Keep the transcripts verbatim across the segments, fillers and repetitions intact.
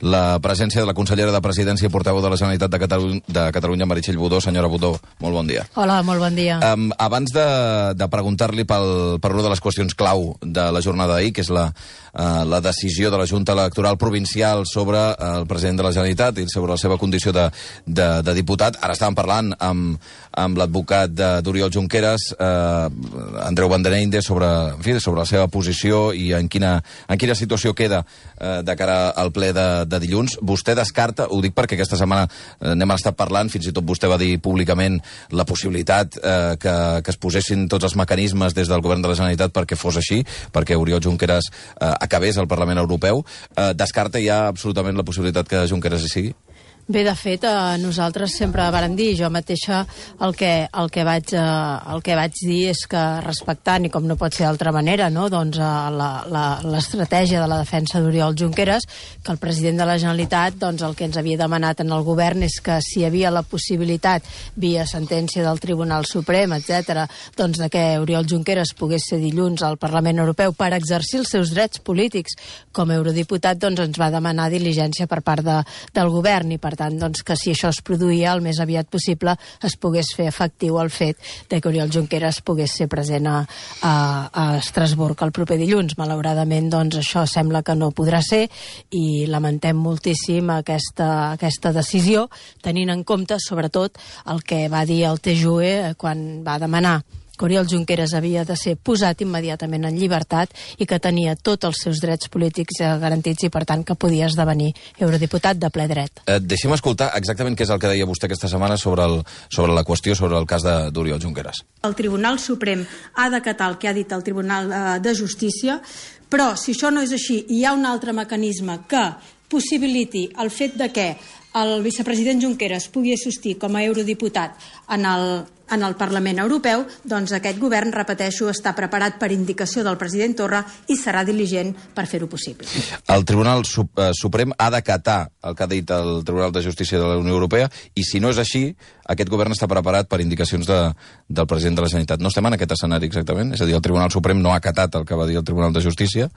la presència de la consellera de Presidència i portaveu de la Generalitat de Catalunya, de Catalunya Meritxell Budó. Senyora Budó, molt bon dia. Hola, molt bon dia. Um, abans de, de preguntar-li pel, per una de les qüestions clau de la jornada d'ahir, que és la, uh, la decisió de la Junta Electoral Provincial sobre uh, el president de la Generalitat i sobre la seva condició de, de, de diputat, ara estàvem parlant amb, amb l'advocat d'Oriol Junqueras, uh, Andreu Vandeneinde, sobre, en fi, sobre la seva posició i en quina, en quina situació queda uh, de cara al ple de, de dilluns. Vostè descarta, ho dic perquè aquesta setmana uh, n'hem estat parlant, fins i tot vostè va dir públicament la possibilitat uh, que, que es posessin tots els mecanismes des del govern de la Generalitat perquè fos així, perquè Oriol Junqueras uh, acabés al Parlament Europeu. Uh, descarta ja absolutament la possibilitat que Junqueras hi sigui? Bé, de fet, eh, nosaltres sempre vàrem dir, jo mateixa el que, el, que vaig, eh, el que vaig dir és que respectant, i com no pot ser d'altra manera, no, doncs, eh, l'estratègia de la defensa d'Oriol Junqueras, que el president de la Generalitat doncs, el que ens havia demanat en el govern és que si hi havia la possibilitat, via sentència del Tribunal Suprem, etcètera, doncs de que Oriol Junqueras pogués ser dilluns al Parlament Europeu per exercir els seus drets polítics com a eurodiputat, doncs ens va demanar diligència per part de, del govern i per tant, doncs, que si això es produïa el més aviat possible es pogués fer efectiu el fet de que Oriol Junqueras pogués ser present a, a, a Estrasburg el proper dilluns. Malauradament, doncs, això sembla que no podrà ser i lamentem moltíssim aquesta, aquesta decisió, tenint en compte, sobretot, el que va dir el T J U E quan va demanar que Oriol Junqueras havia de ser posat immediatament en llibertat i que tenia tots els seus drets polítics garantits i, per tant, que podia esdevenir eurodiputat de ple dret. Eh, deixem escoltar exactament què és el que deia vostè aquesta setmana sobre, el, sobre la qüestió, sobre el cas d'Oriol Junqueras. El Tribunal Suprem ha d'acatar el que ha dit el Tribunal de Justícia, però si això no és així i hi ha un altre mecanisme que possibiliti el fet de que el vicepresident Junqueras pugui assistir com a eurodiputat en el, en el Parlament Europeu, doncs aquest govern, repeteixo, està preparat per indicació del president Torra i serà diligent per fer-ho possible. El Tribunal Suprem ha d'acatar el que ha dit el Tribunal de Justícia de la Unió Europea i si no és així, aquest govern està preparat per indicacions de, del president de la Generalitat. No estem en aquest escenari exactament? És a dir, el Tribunal Suprem no ha acatat el que va dir el Tribunal de Justícia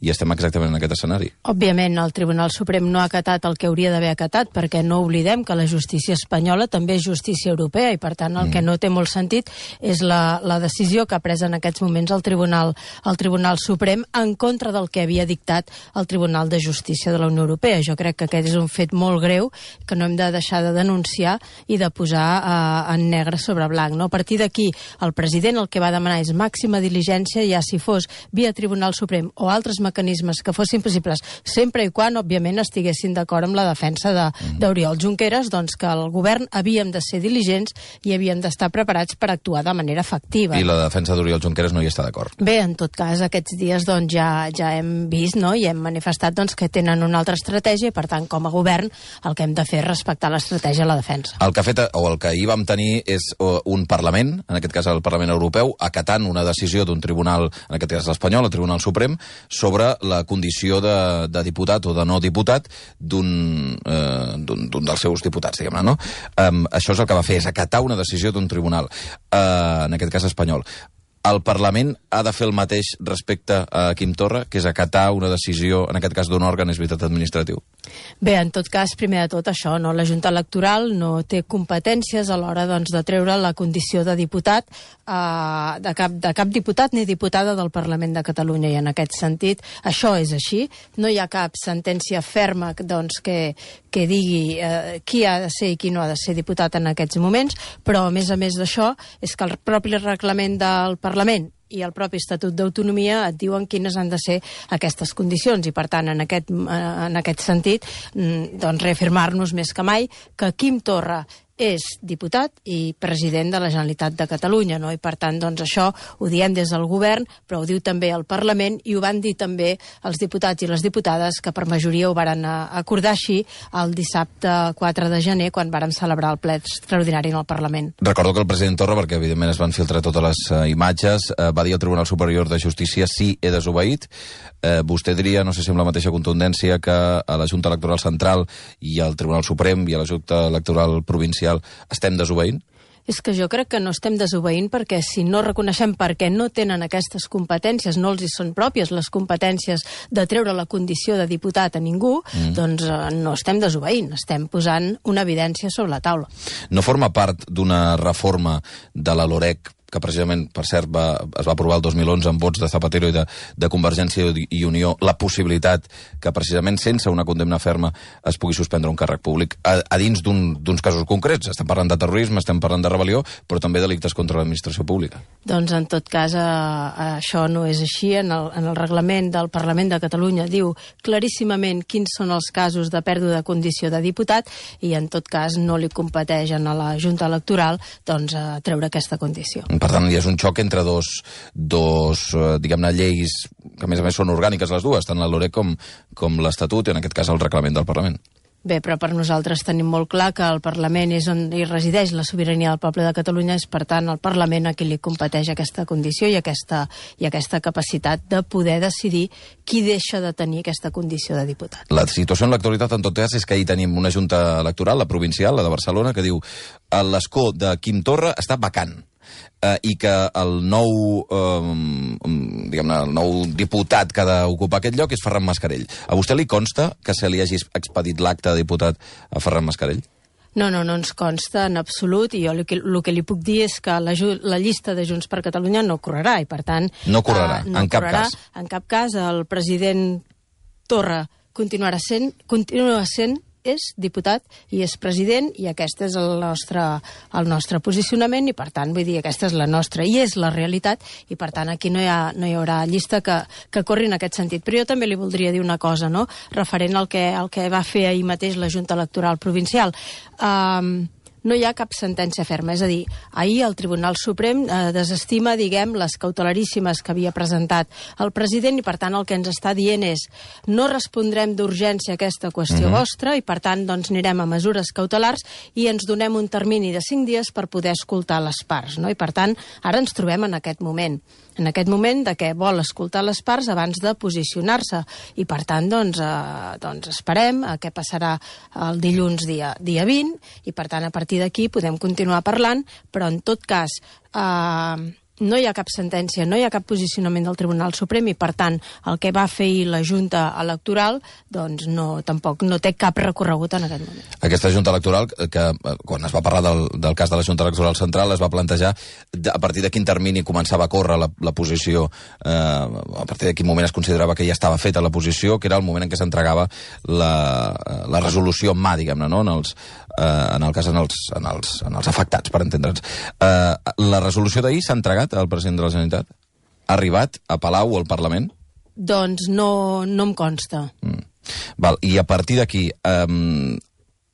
i estem exactament en aquest escenari. Òbviament, el Tribunal Suprem no ha acatat el que hauria d'haver acatat perquè no oblidem que la justícia espanyola també és justícia europea i, per tant, el mm. que no té molt sentit és la, la decisió que ha pres en aquests moments el Tribunal, el Tribunal Suprem en contra del que havia dictat el Tribunal de Justícia de la Unió Europea. Jo crec que aquest és un fet molt greu que no hem de deixar de denunciar i de posar eh, en negre sobre blanc. No? A partir d'aquí, el president el que va demanar és màxima diligència, ja si fos via Tribunal Suprem o altres mecanismes que fossin possibles, sempre i quan, òbviament, estiguessin d'acord amb la defensa d'Oriol de, Junqueras, doncs que el govern havíem de ser diligents i havíem d'estar preparats per actuar de manera efectiva. I la defensa d'Oriol Junqueras no hi està d'acord? Bé, en tot cas, aquests dies doncs, ja, ja hem vist, no? I hem manifestat doncs, que tenen una altra estratègia i, per tant, com a govern, el que hem de fer és respectar l'estratègia de la defensa. El que ha fet, o el que ahir vam tenir és un Parlament, en aquest cas el Parlament Europeu, acatant una decisió d'un tribunal, en aquest cas l'espanyol, el Tribunal Suprem, sobre la condició de, de diputat o de no diputat d'un eh, dels seus diputats, diguem-ne, no? Um, això és el que va fer, és acatar una decisió d'un tribunal, uh, en aquest cas espanyol. El Parlament ha de fer el mateix respecte a Quim Torra, que és acatar una decisió, en aquest cas d'un òrgan, és veritat, administratiu? Bé, en tot cas, primer de tot això, no? La Junta Electoral no té competències a l'hora doncs, de treure la condició de diputat eh, de, cap, de cap diputat ni diputada del Parlament de Catalunya, i en aquest sentit això és així. No hi ha cap sentència ferma doncs, que, que digui eh, qui ha de ser i qui no ha de ser diputat en aquests moments, però a més a més d'això és que el propi reglament del Parlament i el propi Estatut d'Autonomia et diuen quines han de ser aquestes condicions i, per tant, en aquest, en aquest sentit, doncs reafirmar-nos més que mai que Quim Torra és diputat i president de la Generalitat de Catalunya, no? I per tant, doncs això ho diem des del govern, però ho diu també el Parlament i ho van dir també els diputats i les diputades que per majoria ho varen acordar així el dissabte quatre de gener quan varen celebrar el ple extraordinari en el Parlament. Recordo que el president Torra, perquè evidentment es van filtrar totes les uh, imatges, uh, va dir al Tribunal Superior de Justícia sí, he desobeït. Uh, vostè diria, no sé si amb la mateixa contundència, que a la Junta Electoral Central i al Tribunal Suprem i a la Junta Electoral Provincial estem desobeint? És que jo crec que no estem desobeint perquè si no reconeixem perquè no tenen aquestes competències, no els hi són pròpies les competències de treure la condició de diputat a ningú, mm. doncs eh, no estem desobeint, estem posant una evidència sobre la taula. No forma part d'una reforma de la LOREC que precisament, per cert, va, es va aprovar el dos mil onze amb vots de Zapatero i de, de Convergència i Unió, la possibilitat que precisament sense una condemna ferma es pugui suspendre un càrrec públic a, a dins d'uns un, casos concrets. Estem parlant de terrorisme, estem parlant de rebel·lió, però també delictes contra l'administració pública. Doncs en tot cas eh, això no és així. En el, en el reglament del Parlament de Catalunya diu claríssimament quins són els casos de pèrdua de condició de diputat i en tot cas no li competeixen a la Junta Electoral doncs, eh, treure aquesta condició. Per tant, hi és un xoc entre dos, dos eh, diguem-ne, lleis que a més a més són orgàniques les dues, tant la LOREC com, com l'Estatut i en aquest cas el reglament del Parlament. Bé, però per nosaltres tenim molt clar que el Parlament és on hi resideix la sobirania del poble de Catalunya, és per tant el Parlament a qui li competeix aquesta condició i aquesta, i aquesta capacitat de poder decidir qui deixa de tenir aquesta condició de diputat. La situació en l'actualitat, en tot cas, és que ahir tenim una junta electoral, la provincial, la de Barcelona, que diu l'escó de Quim Torra està vacant. Uh, i que el nou, um, diguem-ne, el nou diputat que ha d'ocupar aquest lloc és Ferran Mascarell. A vostè li consta que se li hagi expedit l'acte de diputat a Ferran Mascarell? No, no, no ens consta en absolut i jo el que, el que li puc dir és que la, la llista de Junts per Catalunya no correrà i per tant... No correrà, uh, no en correrà, cap cas. En cap cas el president Torra continuarà sent, continua sent és diputat i és president i aquest és el nostre, el nostre posicionament i per tant, vull dir, aquesta és la nostra i és la realitat i per tant aquí no hi, ha, no hi haurà llista que, que corri en aquest sentit. Però jo també li voldria dir una cosa, no?, referent al que, al que va fer ahir mateix la Junta Electoral Provincial. Um, no hi ha cap sentència ferma. És a dir, ahir el Tribunal Suprem eh, desestima, diguem, les cautelaríssimes que havia presentat el president i, per tant, el que ens està dient és no respondrem d'urgència a aquesta qüestió uh-huh. vostra i, per tant, doncs anirem a mesures cautelars i ens donem un termini de cinc dies per poder escoltar les parts, no? I, per tant, ara ens trobem en aquest moment. En aquest moment de què vol escoltar les parts abans de posicionar-se. I, per tant, doncs, eh, doncs esperem a què passarà el dilluns dia, dia vint i, per tant, a partir d'aquí podem continuar parlant, però en tot cas eh, no hi ha cap sentència, no hi ha cap posicionament del Tribunal Suprem i, per tant, el que va fer la Junta Electoral doncs no, tampoc no té cap recorregut en aquest moment. Aquesta Junta Electoral, que quan es va parlar del, del cas de la Junta Electoral Central, es va plantejar a partir de quin termini començava a córrer la, la posició, eh, a partir de quin moment es considerava que ja estava feta la posició, que era el moment en què s'entregava la, la resolució en mà, diguem-ne, no? en, els, eh, en el cas en els, en els, en els afectats, per entendre'ns. Eh, la resolució d'ahir s'ha entregat al president de la Generalitat? Ha arribat a Palau o al Parlament? Doncs no, no em consta. Mm. Val, i a partir d'aquí, eh,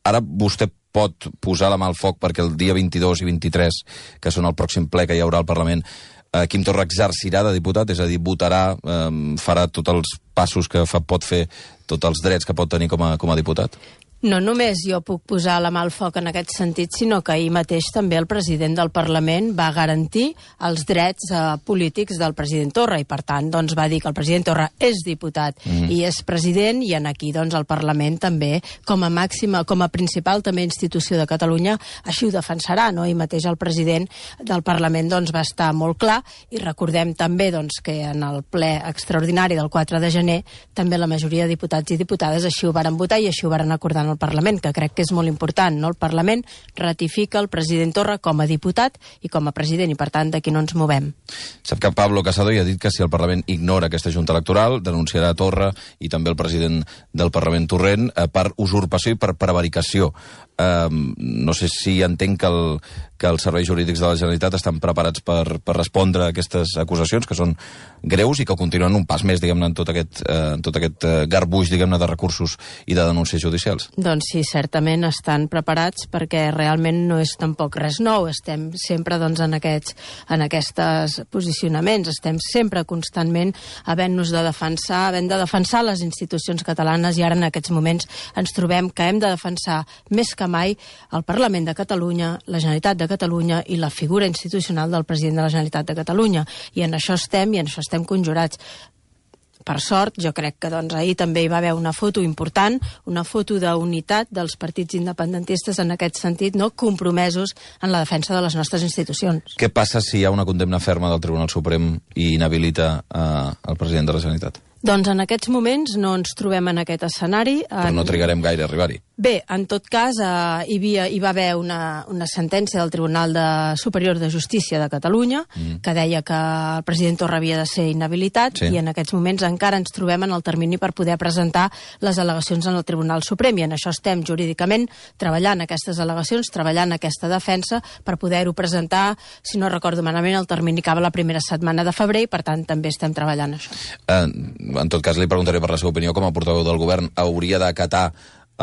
ara vostè pot posar la mà al foc perquè el dia vint-i-dos i vint-i-tres, que són el pròxim ple que hi haurà al Parlament, eh, Quim Torra exercirà de diputat, és a dir, votarà, eh, farà tots els passos que fa, pot fer, tots els drets que pot tenir com a, com a diputat? No només jo puc posar la mà al foc en aquest sentit, sinó que ahir mateix també el president del Parlament va garantir els drets eh, polítics del president Torra i, per tant, doncs, va dir que el president Torra és diputat mm. i és president i en aquí doncs, el Parlament també, com a màxima, com a principal també institució de Catalunya, així ho defensarà, no? I mateix el president del Parlament doncs, va estar molt clar i recordem també doncs, que en el ple extraordinari del quatre de gener també la majoria de diputats i diputades així ho varen votar i així ho varen acordar en el Parlament, que crec que és molt important, no? El Parlament ratifica el president Torra com a diputat i com a president, i per tant d'aquí no ens movem. Sap que Pablo Casado ja ha dit que si el Parlament ignora aquesta Junta Electoral, denunciarà Torra i també el president del Parlament Torrent eh, per usurpació i per prevaricació. Eh, no sé si entenc que, el, que els serveis jurídics de la Generalitat estan preparats per, per respondre a aquestes acusacions, que són greus i que continuen un pas més, diguem-ne, en tot aquest, eh, en tot aquest eh, garbuix, diguem-ne, de recursos i de denúncies judicials. Doncs sí, certament estan preparats perquè realment no és tampoc res nou. Estem sempre doncs, en aquests en aquests posicionaments, estem sempre constantment havent-nos de defensar, havent de defensar les institucions catalanes i ara en aquests moments ens trobem que hem de defensar més que mai el Parlament de Catalunya, la Generalitat de Catalunya i la figura institucional del president de la Generalitat de Catalunya. I en això estem i en això estem conjurats. per sort, jo crec que doncs, ahir també hi va haver una foto important, una foto d'unitat dels partits independentistes en aquest sentit, no compromesos en la defensa de les nostres institucions. Què passa si hi ha una condemna ferma del Tribunal Suprem i inhabilita eh, el president de la Generalitat? Doncs en aquests moments no ens trobem en aquest escenari. Però no trigarem gaire a arribar-hi. Bé, en tot cas, eh, hi, havia, hi va haver una, una sentència del Tribunal de, Superior de Justícia de Catalunya mm. que deia que el president Torra havia de ser inhabilitat sí. i en aquests moments encara ens trobem en el termini per poder presentar les al·legacions en el Tribunal Suprem i en això estem jurídicament treballant aquestes al·legacions, treballant aquesta defensa per poder-ho presentar, si no recordo malament, el termini acaba la primera setmana de febrer i per tant també estem treballant això. Uh, en tot cas li preguntaré per la seva opinió com a portaveu del govern. Hauria d'acatar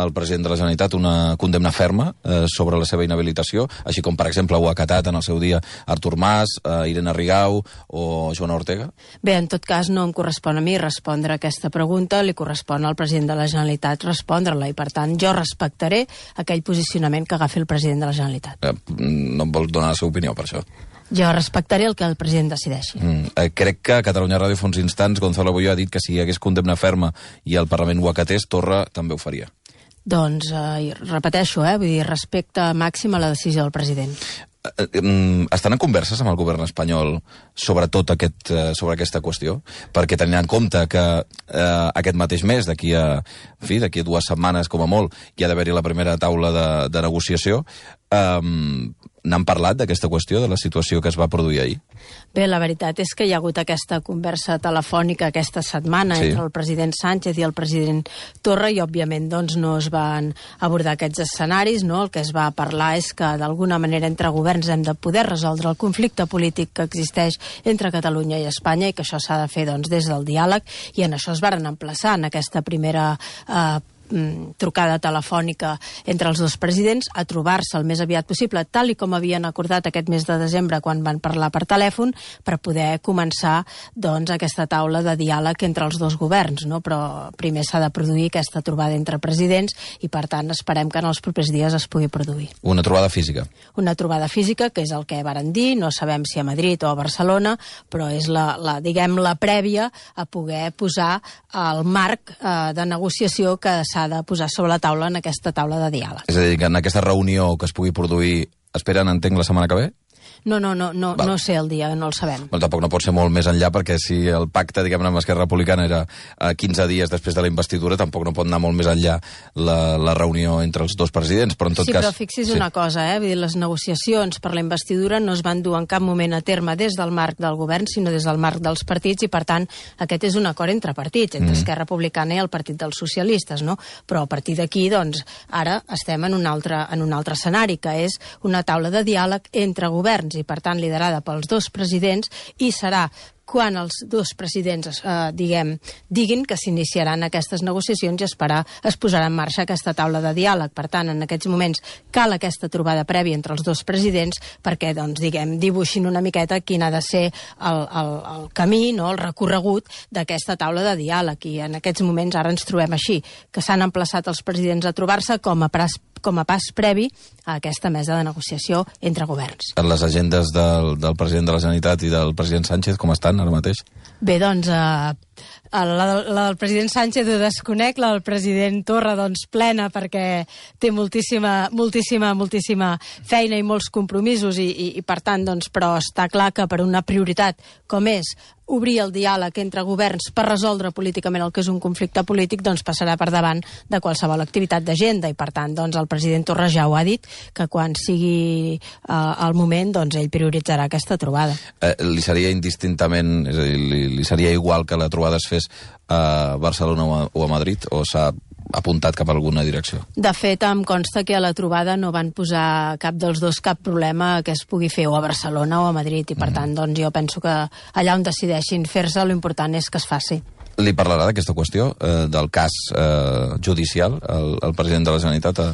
el president de la Generalitat una condemna ferma eh, sobre la seva inhabilitació, així com, per exemple, ho ha acatat en el seu dia Artur Mas, eh, Irene Rigau o Joana Ortega? Bé, en tot cas no em correspon a mi respondre a aquesta pregunta, li correspon al president de la Generalitat respondre-la i, per tant, jo respectaré aquell posicionament que agafi el president de la Generalitat. Eh, no em vol donar la seva opinió per això? Jo respectaré el que el president decideixi. Mm, eh, crec que a Catalunya Ràdio fa uns instants Gonzalo Boyo ha dit que si hi hagués condemna ferma i el Parlament ho acatés, Torra també ho faria. Doncs, eh, repeteixo, eh, vull dir, respecte màxim a la decisió del president. Estan en converses amb el govern espanyol sobre tot aquest, sobre aquesta qüestió? Perquè tenint en compte que eh, aquest mateix mes, d'aquí a, en fi, d'aquí a dues setmanes com a molt, hi ha d'haver-hi la primera taula de, de negociació, eh, n'han parlat d'aquesta qüestió, de la situació que es va produir ahir? Bé, la veritat és que hi ha hagut aquesta conversa telefònica aquesta setmana sí. entre el president Sánchez i el president Torra i, òbviament, doncs, no es van abordar aquests escenaris, no? El que es va parlar és que, d'alguna manera, entre governs hem de poder resoldre el conflicte polític que existeix entre Catalunya i Espanya i que això s'ha de fer, doncs, des del diàleg, i en això es varen emplaçar en aquesta primera eh, trucada telefònica entre els dos presidents a trobar-se el més aviat possible, tal i com havien acordat aquest mes de desembre quan van parlar per telèfon, per poder començar doncs aquesta taula de diàleg entre els dos governs, no? Però primer s'ha de produir aquesta trobada entre presidents i per tant esperem que en els propers dies es pugui produir. Una trobada física? Una trobada física, que és el que varen dir, no sabem si a Madrid o a Barcelona, però és la, la diguem, la prèvia a poder posar el marc eh, de negociació que s'ha de posar sobre la taula en aquesta taula de diàleg. És a dir, que en aquesta reunió que es pugui produir, esperen, entenc, la setmana que ve? No, no, no, no, no sé el dia, no el sabem. Però tampoc no pot ser molt més enllà, perquè si el pacte, diguem-ne, amb Esquerra Republicana era quinze dies després de la investidura, tampoc no pot anar molt més enllà la, la reunió entre els dos presidents, però en tot sí, cas... Sí, però fixi's sí. una cosa, eh? Vull dir, les negociacions per la investidura no es van dur en cap moment a terme des del marc del govern, sinó des del marc dels partits, i per tant, aquest és un acord entre partits, entre mm. Esquerra Republicana i el Partit dels Socialistes, no? Però a partir d'aquí, doncs, ara estem en un altre, en un altre escenari, que és una taula de diàleg entre governs, i per tant liderada pels dos presidents, i serà quan els dos presidents eh, diguem, diguin que s'iniciaran aquestes negociacions i esperar, es posarà en marxa aquesta taula de diàleg. Per tant, en aquests moments cal aquesta trobada prèvia entre els dos presidents perquè, doncs, diguem, dibuixin una miqueta quin ha de ser el, el, el camí, no?, el recorregut d'aquesta taula de diàleg. I en aquests moments ara ens trobem així, que s'han emplaçat els presidents a trobar-se com a pas, com a pas previ a aquesta mesa de negociació entre governs. Les agendes del, del president de la Generalitat i del president Sánchez, com estan ara mateix? Bé, doncs, eh, la, la del president Sánchez ho desconec, la del president Torra, doncs, plena, perquè té moltíssima, moltíssima, moltíssima feina i molts compromisos, i, i, i per tant, doncs, però està clar que per una prioritat com és obrir el diàleg entre governs per resoldre políticament el que és un conflicte polític, doncs passarà per davant de qualsevol activitat d'agenda, i per tant, doncs, el president Torra ja ho ha dit, que quan sigui eh, el moment, doncs, ell prioritzarà aquesta trobada. Eh, li seria indistintament, és a dir, li, li seria igual que la trobada es fes a Barcelona o a, o a Madrid, o s'ha apuntat cap a alguna direcció? De fet, em consta que a la trobada no van posar cap dels dos cap problema que es pugui fer o a Barcelona o a Madrid, i per mm. tant, doncs, jo penso que allà on decideixin fer-se, l'important és que es faci. Li parlarà d'aquesta qüestió, eh, del cas eh, judicial, el, el president de la Generalitat a,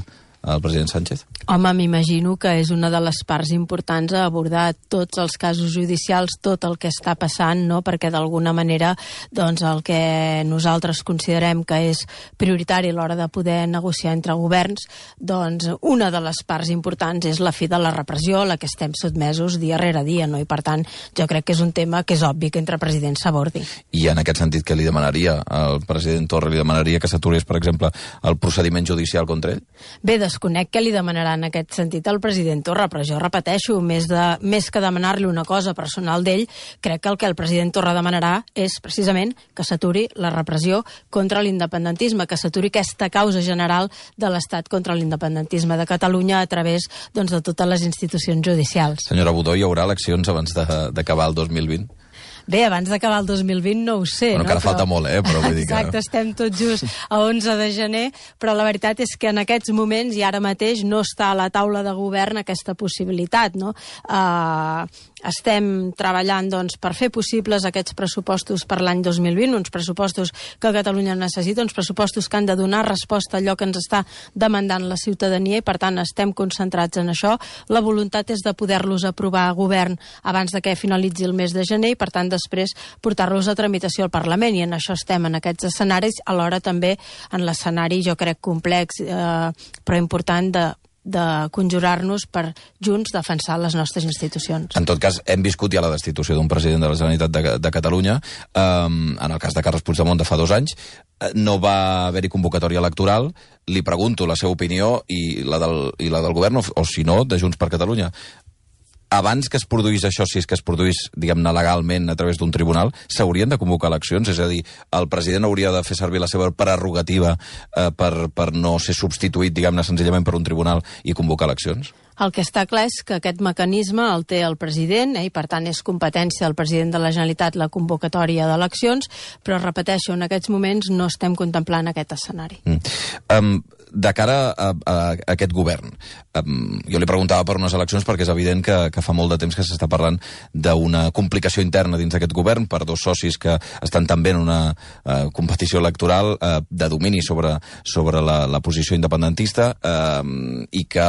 el president Sánchez? Home, m'imagino que és una de les parts importants a abordar tots els casos judicials, tot el que està passant, no? Perquè d'alguna manera doncs, el que nosaltres considerem que és prioritari a l'hora de poder negociar entre governs, doncs una de les parts importants és la fi de la repressió a la que estem sotmesos dia rere dia, no? I per tant jo crec que és un tema que és obvi que entre presidents s'abordi. I en aquest sentit, què li demanaria al president Torra? Li demanaria que s'aturés, per exemple, el procediment judicial contra ell? Bé, desconec què li demanarà en aquest sentit al president Torra, però jo repeteixo, més, de, més que demanar-li una cosa personal d'ell, crec que el que el president Torra demanarà és precisament que s'aturi la repressió contra l'independentisme, que s'aturi aquesta causa general de l'Estat contra l'independentisme de Catalunya a través doncs, de totes les institucions judicials. Senyora Budó, hi haurà eleccions abans d'acabar el dos mil vint? Bé, abans d'acabar el dos mil vint no ho sé. Bueno, no? encara però... falta molt, eh? Però vull dir que... Exacte, estem tot just a onze de gener, però la veritat és que en aquests moments i ara mateix no està a la taula de govern aquesta possibilitat, no? Uh, estem treballant doncs, per fer possibles aquests pressupostos per l'any dos mil vint, uns pressupostos que Catalunya necessita, uns pressupostos que han de donar resposta a allò que ens està demandant la ciutadania i per tant estem concentrats en això. La voluntat és de poder-los aprovar a govern abans de que finalitzi el mes de gener i per tant després portar-los a tramitació al Parlament i en això estem en aquests escenaris, alhora també en l'escenari jo crec complex eh, però important de de conjurar-nos per junts defensar les nostres institucions. En tot cas, hem viscut ja la destitució d'un president de la Generalitat de, de Catalunya, um, en el cas de Carles Puigdemont de fa dos anys, no va haver-hi convocatòria electoral, li pregunto la seva opinió i la del, i la del govern, o, o si no, de Junts per Catalunya. Abans que es produís això, si és que es produís, diguem-ne, legalment a través d'un tribunal, s'haurien de convocar eleccions? És a dir, el president hauria de fer servir la seva prerrogativa eh, per, per no ser substituït, diguem-ne, senzillament per un tribunal i convocar eleccions? El que està clar és que aquest mecanisme el té el president eh, i per tant és competència del president de la Generalitat la convocatòria d'eleccions, però repeteixo, en aquests moments no estem contemplant aquest escenari. Mm. Um, de cara a, a, a aquest govern, um, jo li preguntava per unes eleccions perquè és evident que, que fa molt de temps que s'està parlant d'una complicació interna dins d'aquest govern per dos socis que estan també en una uh, competició electoral uh, de domini sobre, sobre la, la posició independentista uh, i que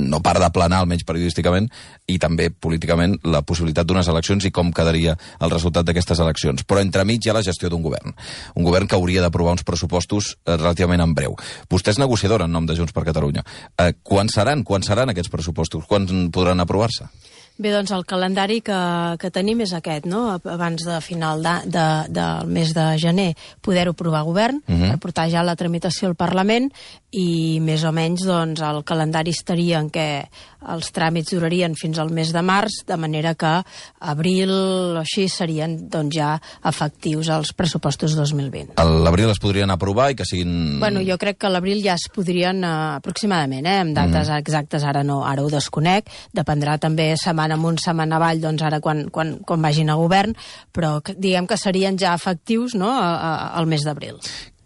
no para de planar, almenys periodísticament, i també políticament, la possibilitat d'unes eleccions i com quedaria el resultat d'aquestes eleccions. Però entremig hi ha la gestió d'un govern. Un govern que hauria d'aprovar uns pressupostos eh, relativament en breu. Vostè és negociadora en nom de Junts per Catalunya. Eh, quan seran? Quan seran aquests pressupostos? Quan podran aprovar-se? Bé, doncs el calendari que, que tenim és aquest, no? Abans de final de, de, del mes de gener poder-ho aprovar a govern, uh -huh. per portar ja la tramitació al Parlament i més o menys doncs, el calendari estaria en què els tràmits durarien fins al mes de març, de manera que abril o així serien doncs, ja efectius els pressupostos dos mil vint. A l'abril es podrien aprovar i que siguin... Bueno, jo crec que a l'abril ja es podrien uh, aproximadament, eh? Amb dates uh -huh. exactes ara no, ara ho desconec, dependrà també setmana amunt, setmana avall, doncs ara quan, quan, quan vagin a govern, però diguem que serien ja efectius no, a, a, al mes d'abril.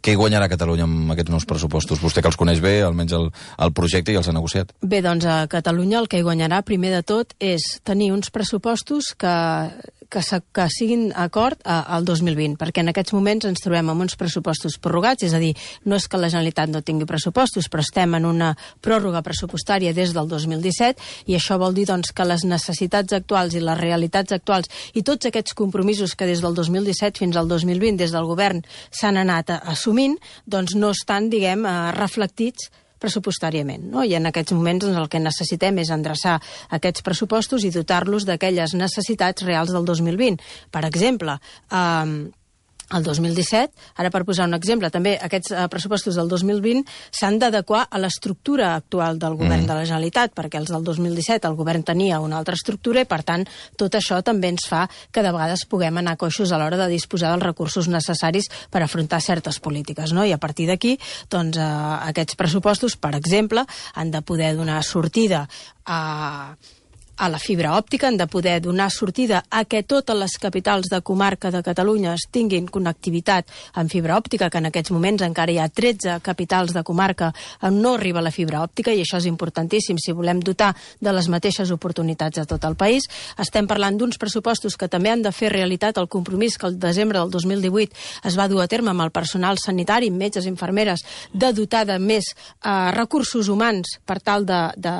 Què guanyarà Catalunya amb aquests nous pressupostos? Vostè que els coneix bé, almenys el, el projecte, i els ha negociat. Bé, doncs a Catalunya el que hi guanyarà primer de tot és tenir uns pressupostos que, que, que siguin acord al dos mil vint, perquè en aquests moments ens trobem amb uns pressupostos prorrogats, és a dir, no és que la Generalitat no tingui pressupostos, però estem en una pròrroga pressupostària des del dos mil disset i això vol dir doncs, que les necessitats actuals i les realitats actuals i tots aquests compromisos que des del dos mil disset fins al dos mil vint des del govern s'han anat assumint, doncs no estan, diguem, reflectits pressupostàriament, no? I en aquests moments doncs, el que necessitem és endreçar aquests pressupostos i dotar-los d'aquelles necessitats reals del dos mil vint. Per exemple, eh, el dos mil disset, ara per posar un exemple, també aquests eh, pressupostos del dos mil vint s'han d'adequar a l'estructura actual del govern mm. de la Generalitat, perquè els del dos mil disset el govern tenia una altra estructura i, per tant, tot això també ens fa que de vegades puguem anar coixos a l'hora de disposar dels recursos necessaris per afrontar certes polítiques, no? I a partir d'aquí, doncs, eh, aquests pressupostos, per exemple, han de poder donar sortida a a la fibra òptica, han de poder donar sortida a que totes les capitals de comarca de Catalunya tinguin connectivitat amb fibra òptica, que en aquests moments encara hi ha tretze capitals de comarca on no arriba la fibra òptica, i això és importantíssim si volem dotar de les mateixes oportunitats a tot el país. Estem parlant d'uns pressupostos que també han de fer realitat el compromís que el desembre del dos mil divuit es va dur a terme amb el personal sanitari, metges, infermeres, de dotar de més eh, recursos humans per tal de, de,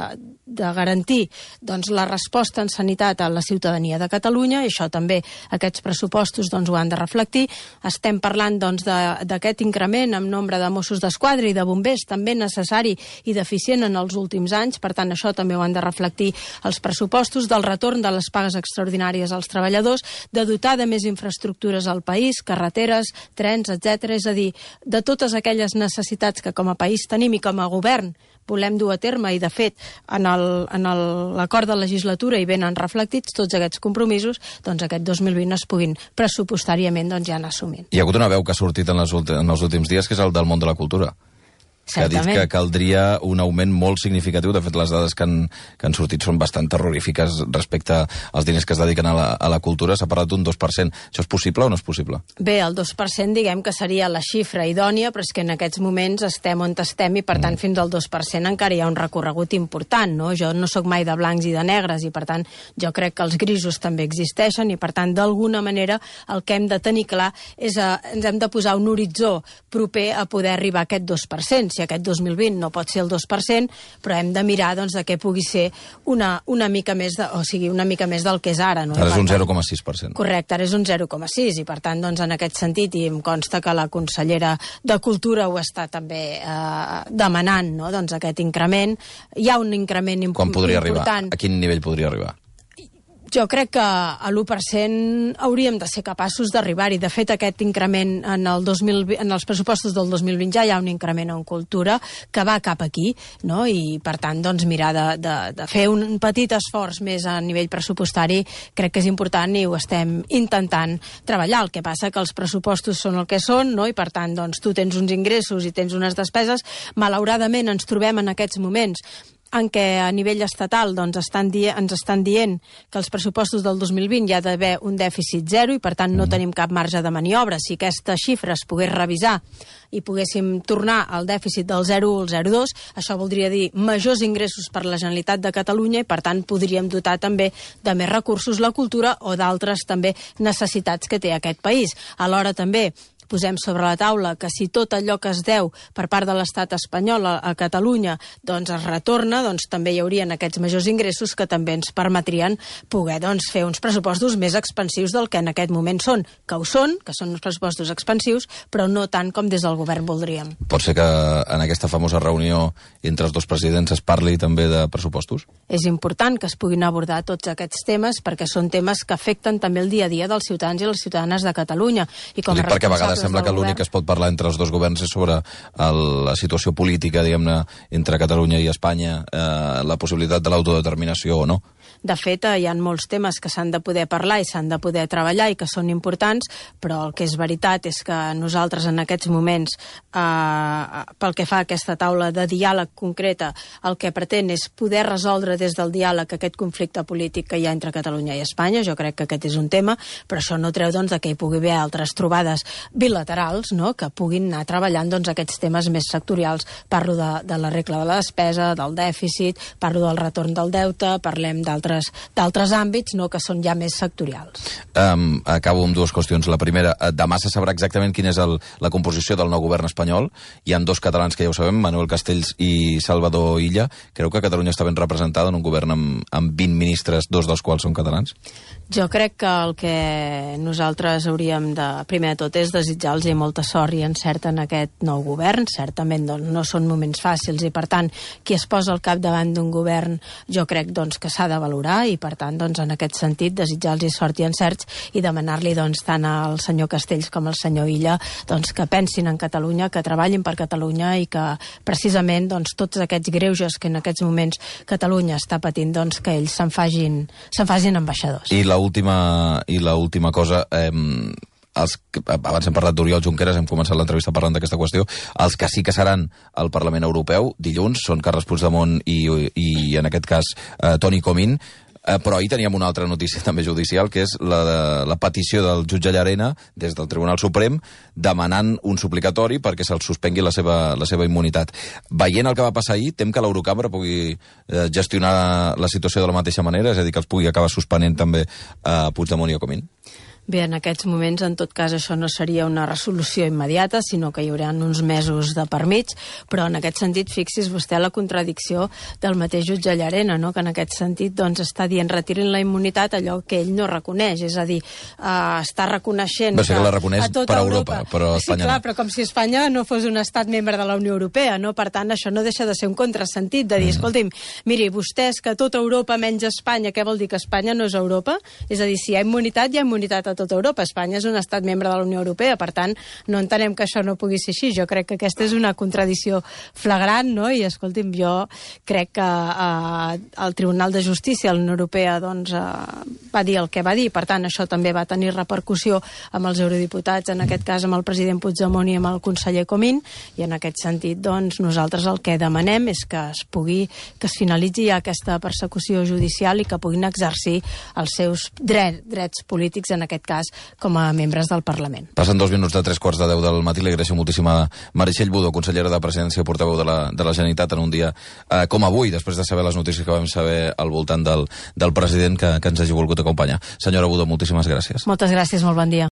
de garantir doncs, la resposta en sanitat a la ciutadania de Catalunya, i això també aquests pressupostos doncs, ho han de reflectir. Estem parlant doncs, d'aquest increment en nombre de Mossos d'Esquadra i de bombers, també necessari i deficient en els últims anys, per tant això també ho han de reflectir els pressupostos, del retorn de les pagues extraordinàries als treballadors, de dotar de més infraestructures al país, carreteres, trens, etcètera. És a dir, de totes aquelles necessitats que com a país tenim i com a govern volem dur a terme, i de fet en l'acord de legislatura hi venen reflectits tots aquests compromisos, doncs aquest dos mil vint es puguin pressupostàriament doncs, ja anar assumint. Hi ha hagut una veu que ha sortit en, les en els últims dies, que és el del món de la cultura, que ha dit que caldria un augment molt significatiu. De fet, les dades que han, que han sortit són bastant terrorífiques respecte als diners que es dediquen a la, a la cultura. S'ha parlat d'un dos per cent. Això és possible o no és possible? Bé, el dos per cent diguem que seria la xifra idònia, però és que en aquests moments estem on estem i, per tant, mm. fins al dos per cent encara hi ha un recorregut important, no? Jo no sóc mai de blancs i de negres i, per tant, jo crec que els grisos també existeixen i, per tant, d'alguna manera el que hem de tenir clar és que ens hem de posar un horitzó proper a poder arribar a aquest dos per cent. Si aquest dos mil vint no pot ser el dos per cent, però hem de mirar doncs, de que pugui ser una, una mica més de, o sigui, una mica més del que és ara. No? Ara és un zero coma sis per cent. Correcte, ara és un zero coma sis, i per tant, doncs, en aquest sentit, i em consta que la consellera de Cultura ho està també eh, demanant, no? Doncs aquest increment. Hi ha un increment imp Quan podria important. Arribar? A quin nivell podria arribar? Jo crec que a l'u per cent hauríem de ser capaços d'arribar-hi. De fet, aquest increment en, el dos mil vint, en els pressupostos del dos mil vint ja hi ha un increment en cultura que va cap aquí, no? I per tant, doncs, mirar de, de, de fer un petit esforç més a nivell pressupostari crec que és important i ho estem intentant treballar. El que passa que els pressupostos són el que són, no? I per tant, doncs, tu tens uns ingressos i tens unes despeses. Malauradament ens trobem en aquests moments en què a nivell estatal doncs, estan di ens estan dient que els pressupostos del dos mil vint hi ha d'haver un dèficit zero i per tant no tenim cap marge de maniobra. Si aquesta xifra es pogués revisar i poguéssim tornar al dèficit del zero coma un al zero coma dos, això voldria dir majors ingressos per la Generalitat de Catalunya i per tant podríem dotar també de més recursos la cultura o d'altres també necessitats que té aquest país. Alhora també posem sobre la taula que si tot allò que es deu per part de l'estat espanyol a, a Catalunya doncs es retorna, doncs també hi haurien aquests majors ingressos que també ens permetrien poder doncs, fer uns pressupostos més expansius del que en aquest moment són, que ho són, que són uns pressupostos expansius, però no tant com des del govern voldríem. Pot ser que en aquesta famosa reunió entre els dos presidents es parli també de pressupostos? És important que es puguin abordar tots aquests temes perquè són temes que afecten també el dia a dia dels ciutadans i les ciutadanes de Catalunya. I com a perquè a vegades sembla que l'únic que es pot parlar entre els dos governs és sobre el, la situació política, diguem-ne, entre Catalunya i Espanya, eh, la possibilitat de l'autodeterminació o no. De fet, hi ha molts temes que s'han de poder parlar i s'han de poder treballar i que són importants, però el que és veritat és que nosaltres en aquests moments, eh, pel que fa a aquesta taula de diàleg concreta, el que pretén és poder resoldre des del diàleg aquest conflicte polític que hi ha entre Catalunya i Espanya. Jo crec que aquest és un tema, però això no treu doncs, que hi pugui haver altres trobades bilaterals, no?, que puguin anar treballant doncs, aquests temes més sectorials. Parlo de, de la regla de la despesa, del dèficit, parlo del retorn del deute, parlem d'altres d'altres àmbits, no, que són ja més sectorials. Um, acabo amb dues qüestions. La primera, demà se sabrà exactament quina és el, la composició del nou govern espanyol. Hi ha dos catalans que ja ho sabem, Manuel Castells i Salvador Illa. Creu que Catalunya està ben representada en un govern amb, amb vint ministres, dos dels quals són catalans? Jo crec que el que nosaltres hauríem de, primer de tot, és desitjar-los molta sort i encert en aquest nou govern. Certament doncs, no són moments fàcils i, per tant, qui es posa al capdavant d'un govern jo crec doncs, que s'ha de valorar i, per tant, doncs, en aquest sentit, desitjar-los sort i encerts i demanar-li doncs, tant al senyor Castells com al senyor Illa doncs, que pensin en Catalunya, que treballin per Catalunya i que, precisament, doncs, tots aquests greuges que en aquests moments Catalunya està patint, doncs, que ells se'n facin, se'n facin ambaixadors. I la última, i la última cosa, eh, els, abans hem parlat d'Oriol Junqueras, hem començat l'entrevista parlant d'aquesta qüestió, els que sí que seran al Parlament Europeu dilluns són Carles Puigdemont i, i en aquest cas, eh, Toni Comín. Eh, però ahir teníem una altra notícia també judicial, que és la, de, la petició del jutge Llarena des del Tribunal Suprem demanant un suplicatori perquè se'ls suspengui la seva, la seva immunitat. Veient el que va passar ahir, tem que l'Eurocambra pugui eh, gestionar la situació de la mateixa manera, és a dir, que els pugui acabar suspenent també a eh, Puigdemont i a Comín? Bé, en aquests moments, en tot cas, això no seria una resolució immediata, sinó que hi haurà uns mesos de per mig, però en aquest sentit, fixi's vostè la contradicció del mateix jutge Llarena, no? Que en aquest sentit doncs, està dient retirin la immunitat allò que ell no reconeix, és a dir, eh, està reconeixent Va ser que, que la reconeix a tota per Europa, Europa, però sí, Espanya clar, no. però com si Espanya no fos un estat membre de la Unió Europea, no? Per tant, això no deixa de ser un contrasentit, de dir, mm. escolti'm, miri, vostès que tota Europa menys Espanya, què vol dir que Espanya no és Europa? És a dir, si hi ha immunitat, hi ha immunitat a tota Europa. Espanya és un estat membre de la Unió Europea, per tant, no entenem que això no pugui ser així. Jo crec que aquesta és una contradicció flagrant, no? I, escolti'm, jo crec que eh, el Tribunal de Justícia de la Unió Europea doncs, eh, va dir el que va dir, per tant, això també va tenir repercussió amb els eurodiputats, en aquest cas amb el president Puigdemont i amb el conseller Comín, i en aquest sentit, doncs, nosaltres el que demanem és que es pugui, que es finalitzi ja aquesta persecució judicial i que puguin exercir els seus drets, drets polítics, en aquest cas, com a membres del Parlament. Passen dos minuts de tres quarts de deu del matí. Li agraeixo moltíssim a Meritxell Budó, consellera de Presidència i portaveu de la, de la Generalitat, en un dia eh, com avui, després de saber les notícies que vam saber al voltant del, del president, que, que ens hagi volgut acompanyar. Senyora Budó, moltíssimes gràcies. Moltes gràcies, molt bon dia.